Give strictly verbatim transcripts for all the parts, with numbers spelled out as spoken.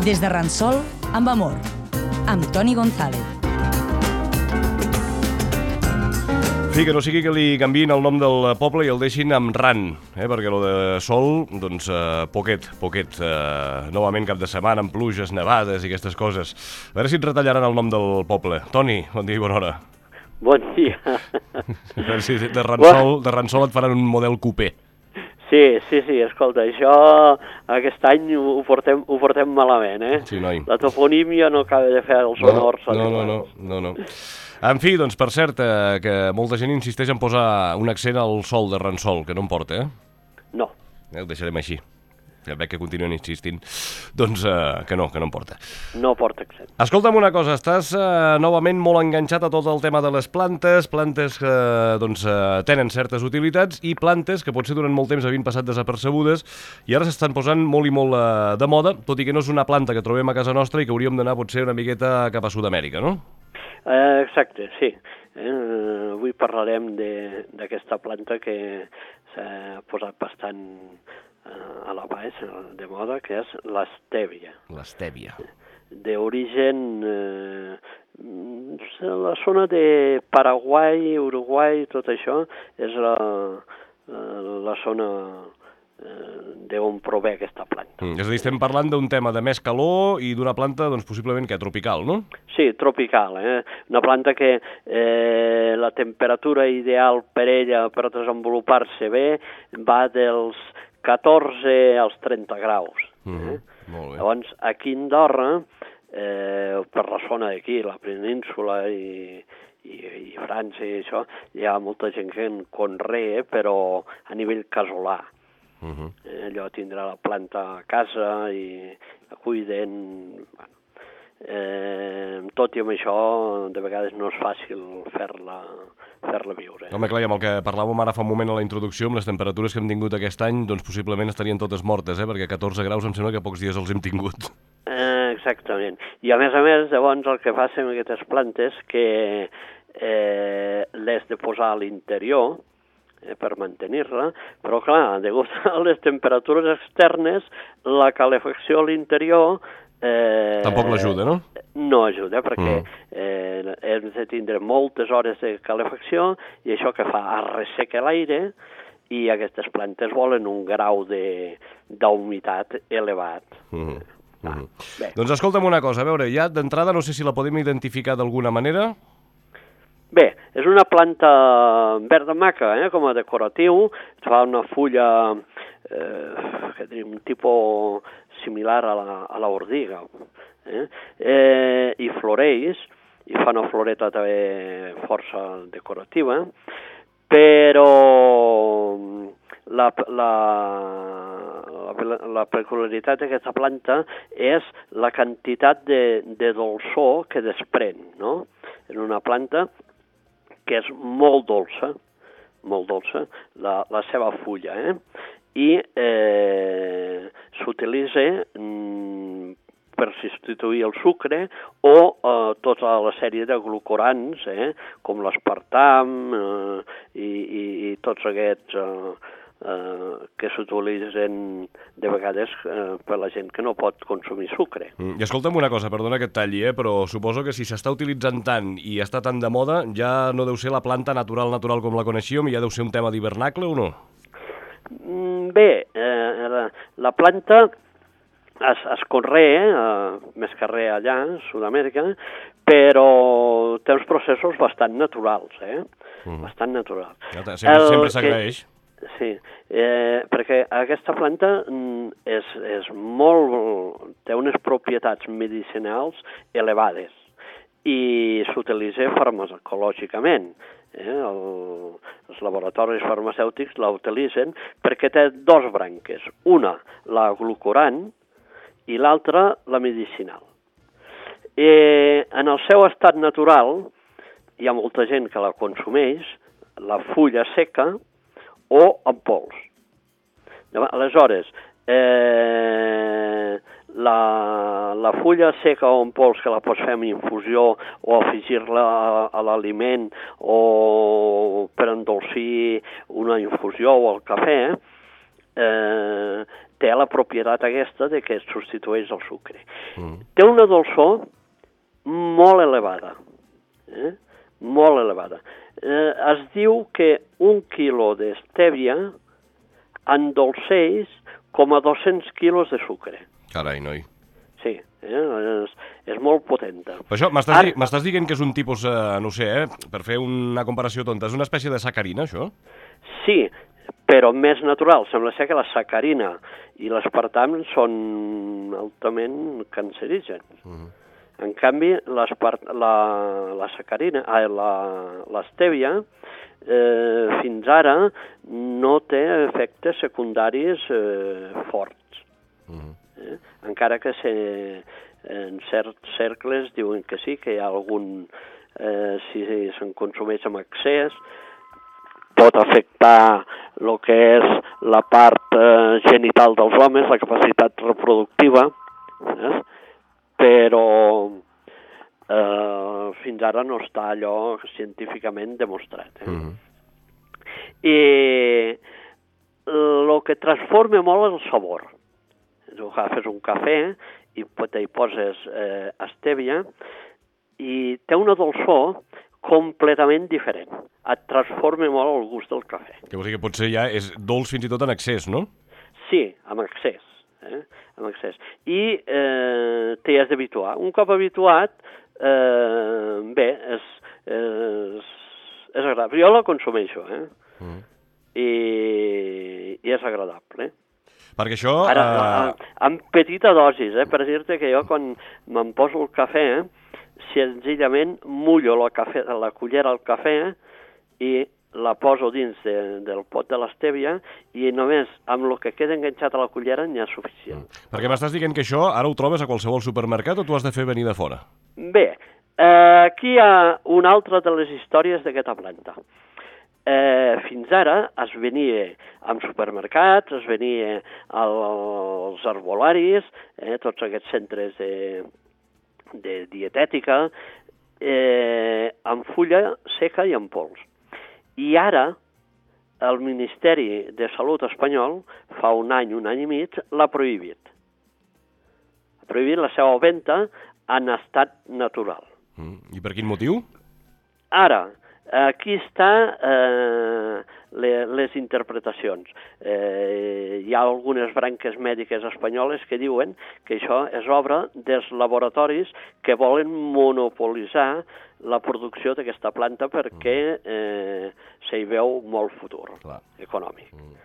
Des de Ransol, amb amor, amb Toni González. Sí, que no sigui que li canviïn el nom del poble i el deixin amb Ran, eh? Perquè lo de Sol, doncs, eh, poquet, poquet. Eh, novament cap de setmana, amb pluges, nevades i aquestes coses. A veure si et retallaran el nom del poble. Toni, bon dia i bona hora. Bon dia. A veure si de Ransol, de Ransol et faran un model coupé. Sí, sí, sí, escolta, això aquest any ho portem, ho portem malament, eh? Sí, noi. La toponímia no acaba de fer els honors. No, no, no, no, no. En fi, doncs, per cert, eh, que molta gent insisteix en posar un accent al sol de Ransol, que no em porta, eh? No. Eh, ho deixarem així. Ja veig que continuen insistint. Doncs eh, que no, que no em porta. No porta accent. Escolta'm una cosa, estàs eh, novament molt enganxat a tot el tema de les plantes, plantes que doncs, eh, tenen certes utilitats i plantes que potser durant molt temps havien passat desapercebudes i ara s'estan posant molt i molt eh, de moda, tot i que no és una planta que trobem a casa nostra i que hauríem d'anar potser una miqueta cap a Sud-amèrica, no? Eh, exacte, sí. Eh, avui parlarem d'aquesta planta que s'ha posat bastant a la baix, de moda, que és l'estèvia. L'estèvia. D'origen eh, la zona de Paraguai, Uruguai, tot això, és la, la zona eh, d'on prové aquesta planta. Mm, és a dir, estem parlant d'un tema de més calor i d'una planta, doncs, possiblement, que tropical, no? Sí, tropical, eh? Una planta que eh, la temperatura ideal per ella, per desenvolupar-se bé, va dels catorze als trenta graus. Eh? Mm-hmm. Molt bé. Llavors, aquí a Andorra, eh, per la zona d'aquí, la península i, i, i França i això, hi ha molta gent que en conrea, però a nivell casolà. Uh-huh. Eh, allò tindrà la planta a casa i la cuiden. Bueno, eh, tot i amb això, de vegades no és fàcil fer-la fer-la viure. Home, clar, i amb el que parlàvem ara fa un moment a la introducció, amb les temperatures que hem tingut aquest any, doncs possiblement estarien totes mortes, eh? Perquè catorze graus em sembla que pocs dies els hem tingut. Eh, exactament. I a més a més, llavors, el que passa amb aquestes plantes que eh, l'has de posar a l'interior eh, per mantenir-la, però clar, degut a les temperatures externes, la calefacció a l'interior Eh, tampoc l'ajuda, no? No ajuda, perquè mm. eh, hem de tindre moltes hores de calefacció i això que fa arresseca l'aire i aquestes plantes volen un grau d'humitat elevat. Mm. Ah, mm. Doncs escolta'm una cosa, a veure, ja d'entrada no sé si la podem identificar d'alguna manera. Bé, és una planta verda maca, eh, com a decoratiu, fa una fulla, eh, que diríem, un tipus similar a la, a la ordiga, eh? Eh, i floreix, i fa una floreta també força decorativa, però la, la, la, la peculiaritat d'aquesta planta és la quantitat de, de dolçor que desprèn, no? És una planta que és molt dolça, molt dolça, la, la seva fulla, eh? I eh, s'utilitza mm, per substituir el sucre o eh, tota la sèrie de glucorans, eh, com l'espartam eh, i, i, i tots aquests eh, eh, que s'utilitzen de vegades eh, per la gent que no pot consumir sucre. Mm, I escolta'm una cosa, perdona que et talli, eh, però suposo que si s'està utilitzant tant i està tan de moda, ja no deu ser la planta natural natural com la coneixíem i ja deu ser un tema d'hivernacle o no? Bé, eh, la, la planta es, es conrea, eh, més que res allà, a Sud-amèrica, però té uns processos bastant naturals, eh? Mm. Bastant naturals. Ja, sempre sempre s'agraeix. Sí, eh, perquè aquesta planta és, és molt, té unes propietats medicinals elevades i s'utilitza farmacològicament. Eh, el, els laboratoris farmacèutics la utilitzen perquè té dos branques, una la glucorant i l'altra la medicinal. Eh, en el seu estat natural hi ha molta gent que la consumeix, la fulla seca o en pols. Aleshores, eh, la, la fulla seca o en pols que la pots fer amb infusió o afegir-la a, a l'aliment o per endolcir una infusió o el cafè, eh, té la propietat aquesta de que substitueix el sucre. Mm. Té una dolçor molt elevada, eh? molt elevada. Eh, es diu que un quilo d'estèvia endolceix com a dos-cents quilos de sucre. Carai, noi. Sí, eh? és, és molt potenta. Per això m'estàs Ara... di m'estàs dient que és un tipus, eh, no sé, eh, per fer una comparació tonta, és una espècie de sacarina, això? Sí, però més natural. Sembla ser que la sacarina i l'espartam són altament cancerígens. Uh -huh. En canvi, la, la sacarina, ah, l'estèvia, eh, fins ara no té efectes secundaris eh, forts. Uh -huh. eh? Encara que se, en certs cercles diuen que sí, que hi ha algun, eh, si se'n consumeix amb excés, pot afectar el que és la part eh, genital dels homes, la capacitat reproductiva, eh? però eh, fins ara no està allò científicament demostrat. Eh? Mm-hmm. I el que transforma molt és el sabor. Tu agafes un cafè i hi poses eh, estèvia i té una dolçor completament diferent. Et transforma molt el gust del cafè. Que vol dir que potser ja és dolç fins i tot en excés, no? Sí, amb excés. Eh? Amb excés. I eh, t'hi has d'habituar. Un cop habituat, eh, bé, és, és, és agradable. Jo la consumeixo, eh? Mm. I, i és agradable, eh? Perquè això... Ara, uh... en petita dosis, eh? Per dir-te que jo quan me'n poso el cafè, eh? senzillament mullo la, cafè, la cullera al cafè i la poso dins de, del pot de l'estèvia i només amb el que queda enganxat a la cullera n'hi ha suficient. Mm. Perquè m'estàs dient que això ara ho trobes a qualsevol supermercat o tu has de fer venir de fora? Bé, eh, aquí hi ha una altra de les històries d'aquesta planta. Eh, fins ara es venia en supermercats, es venia als arbolaris, eh, tots aquests centres de, de dietètica, eh, en fulla seca i en pols. I ara el Ministeri de Salut espanyol, fa un any, un any i mig, l'ha prohibit. Ha prohibit la seva venda en estat natural. Mm. I per quin motiu? Ara, aquí està eh, les, les interpretacions. Eh, hi ha algunes branques mèdiques espanyoles que diuen que això és obra dels laboratoris que volen monopolitzar la producció d'aquesta planta perquè eh, s'hi veu molt futur Clar. econòmic. Mm.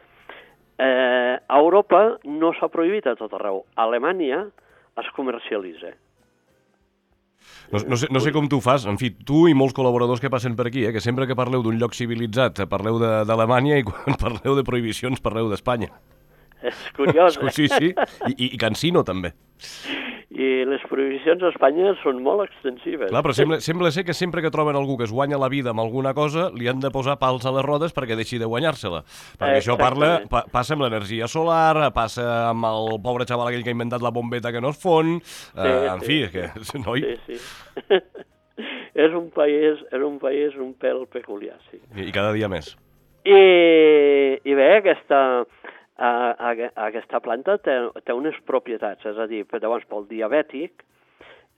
Eh, a Europa no s'ha prohibit a tot arreu. A Alemanya es comercialitza. No, no, sé, no sé com tu fas, en fi, tu i molts col·laboradors que passen per aquí, eh, que sempre que parleu d'un lloc civilitzat parleu d'Alemanya i quan parleu de prohibicions parleu d'Espanya. És curiós, eh? Sí, sí, I, i, i Cansino també. I les prohibicions a Espanya són molt extensives. Clar, però sembla, sembla ser que sempre que troben algú que es guanya la vida amb alguna cosa, li han de posar pals a les rodes perquè deixi de guanyar-se-la. Perquè això parla, pa, passa amb l'energia solar, passa amb el pobre xaval aquell que ha inventat la bombeta que no es fon, sí, eh, en sí, fi, sí. que... Noi... Sí, sí. és un país, és un país un pèl peculiar, sí. I, i cada dia més. I, i bé, aquesta... Uh, aquesta planta té, té unes propietats, és a dir, llavors pel diabètic,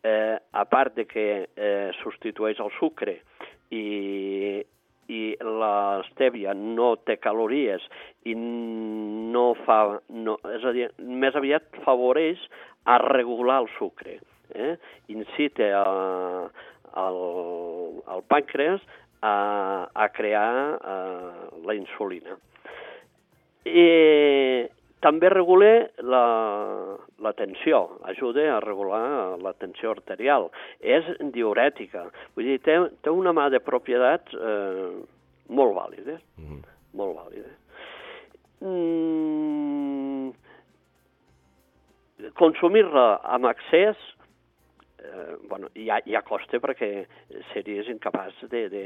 eh, a part de que eh, substitueix el sucre i, i l'estèvia no té calories i no fa, no, és a dir, més aviat favoreix a regular el sucre, eh? incita a, al, al pàncreas a, a crear a, la insulina. I també regula la, la tensió, ajuda a regular la tensió arterial. És diurètica, vull dir, té, té una mà de propietats eh, molt vàlides, mm. molt vàlides. Mm, consumir-la amb excés, eh, bueno, ja, ja costa perquè series incapaç de, de,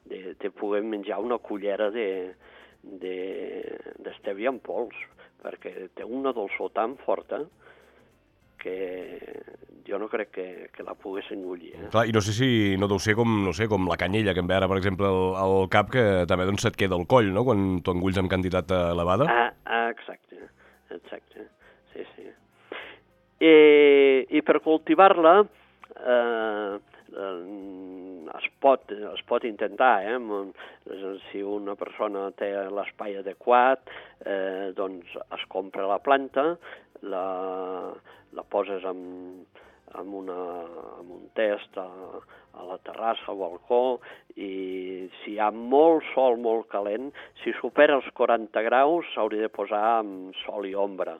de, de poder menjar una cullera de... d'estèvia en pols, perquè té una dolçor tan forta que jo no crec que, que la pogués engullir. Eh? Clar, i no sé si no deu ser com, no sé, com la canyella que em ve ara, per exemple, al, al cap, que també doncs se't queda al coll, no?, quan t'ho engulls amb quantitat elevada. Ah, ah exacte, exacte, sí, sí. I, i per cultivar-la eh, es pot, es pot intentar, eh? Si una persona té l'espai adequat, eh, doncs es compra la planta, la, la poses en, en, una, en un test a, a la terrassa, al balcó, i si hi ha molt sol, molt calent, si supera els quaranta graus s'hauria de posar amb sol i ombra.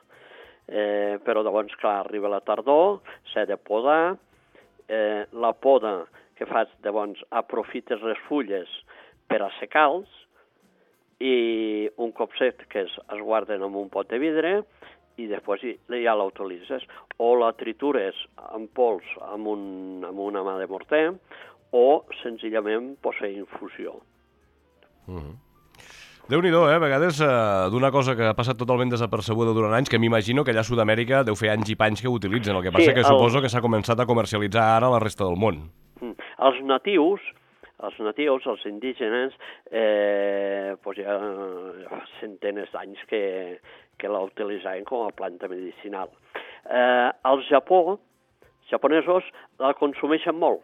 Eh, però llavors, clar, arriba la tardor, s'ha de podar, eh, la poda que fas, llavors aprofites les fulles per assecar-los i un cop seques es guarden en un pot de vidre i després ja la utilitzes. O la tritures en pols amb, un, amb una mà de morter o senzillament pots fer infusió. Mm-hmm. Déu-n'hi-do, eh? A vegades eh, d'una cosa que ha passat totalment desapercebuda durant anys, que m'imagino que allà a Sud-amèrica deu fer anys i panys que ho utilitzen. El que passa sí, que el... suposo que s'ha començat a comercialitzar ara a la resta del món. Mm. Els natius, els natius, els indígenes, eh, pues ja, ja fa centenes d'anys que, que la utilitzaven com a planta medicinal. Eh, al Japó, els japonesos la consumeixen molt.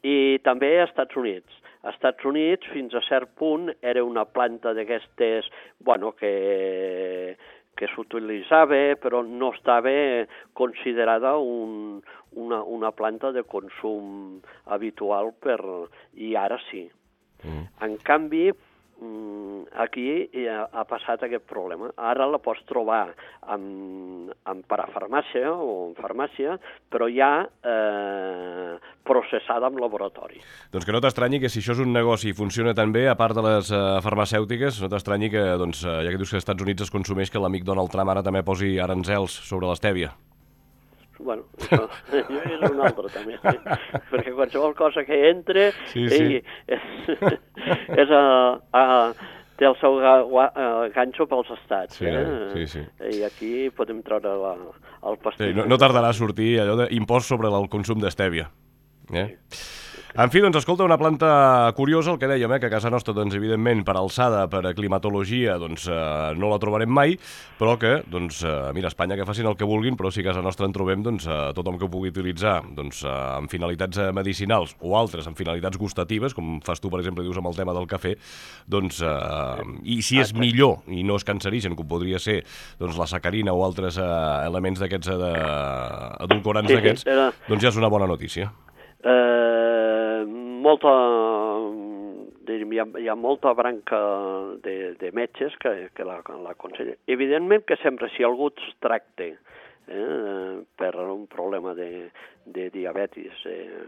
I també als Estats Units. Als Estats Units, fins a cert punt, era una planta d'aquestes, bueno, que, que s'utilitzava, però no estava considerada un, una, una planta de consum habitual, per, i ara sí. Mm. En canvi, aquí ha, ha passat aquest problema. Ara la pots trobar en, en parafarmàcia o en farmàcia, però ja eh, processada en laboratori. Doncs que no t'estranyi que si això és un negoci i funciona tan bé, a part de les uh, farmacèutiques, no t'estranyi que, doncs, uh, ja que dius que als Estats Units es consumeix, que l'amic Donald Trump ara també posi aranzels sobre l'estèvia. Bueno, això, això és un altre també, sí. Perquè qualsevol cosa que entre sí, sí. Ell, és, és a, a, té el seu ganxo pels estats. Sí, eh? sí, sí. I aquí podem treure la, el pastís. Sí, no, no tardarà a sortir allò d'impost sobre el consum d'estèvia. Eh? Sí. En fi, doncs, escolta, una planta curiosa, el que dèiem, eh, que a casa nostra, doncs, evidentment, per alçada, per climatologia, doncs, eh, no la trobarem mai, però que, doncs, eh, mira, a Espanya que facin el que vulguin, però si a casa nostra en trobem, doncs, eh, tothom que ho pugui utilitzar, doncs, eh, amb finalitats medicinals o altres amb finalitats gustatives, com fas tu, per exemple, dius amb el tema del cafè, doncs, eh, i si és millor i no és cancerigen, com podria ser, doncs, la sacarina o altres eh, elements d'aquests eh, edulcorants sí, d'aquests, era... doncs ja és una bona notícia. Eh, molta, hi ha, hi ha molta branca de, de metges que, que l'aconsellen. Evidentment que sempre si algú es tracta eh, per un problema de, de diabetis eh,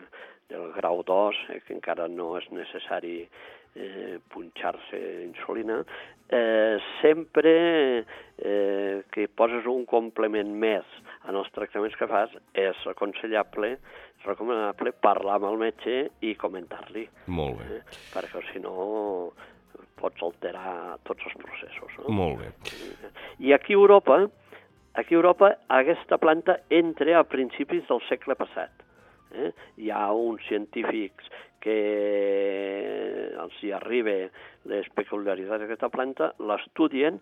del grau dos, eh, que encara no és necessari eh, punxar-se insulina, eh, sempre eh, que poses un complement més en els tractaments que fas és aconsellable recomanable parlar amb el metge i comentar-li. Molt bé. Eh? Perquè, si no, pots alterar tots els processos. No? Molt bé. I aquí a Europa, aquí a Europa aquesta planta entra a principis del segle passat. Eh? Hi ha uns científics que els hi arriba les peculiaritats d'aquesta planta, l'estudien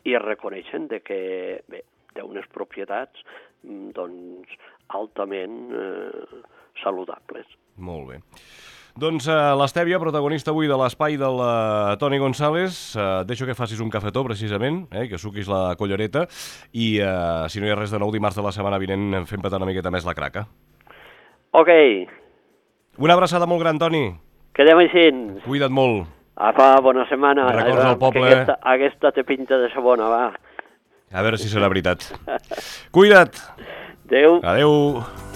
i reconeixen de que bé, té unes propietats doncs, altament eh, saludables. Molt bé. Doncs eh, l'Estèvia, protagonista avui de l'espai del uh, Toni González. Uh, deixo que facis un cafetó, precisament, eh, que suquis la collareta i, uh, si no hi ha res de nou, dimarts de la setmana vinent fem petar una miqueta més la craca. Ok. Una abraçada molt gran, Toni. Quedem així. Cuida't molt. Apa, bona setmana. Records al poble. Aquesta, aquesta té pinta de sabona, va. A veure si serà veritat. Cuida't. Adéu. Adéu.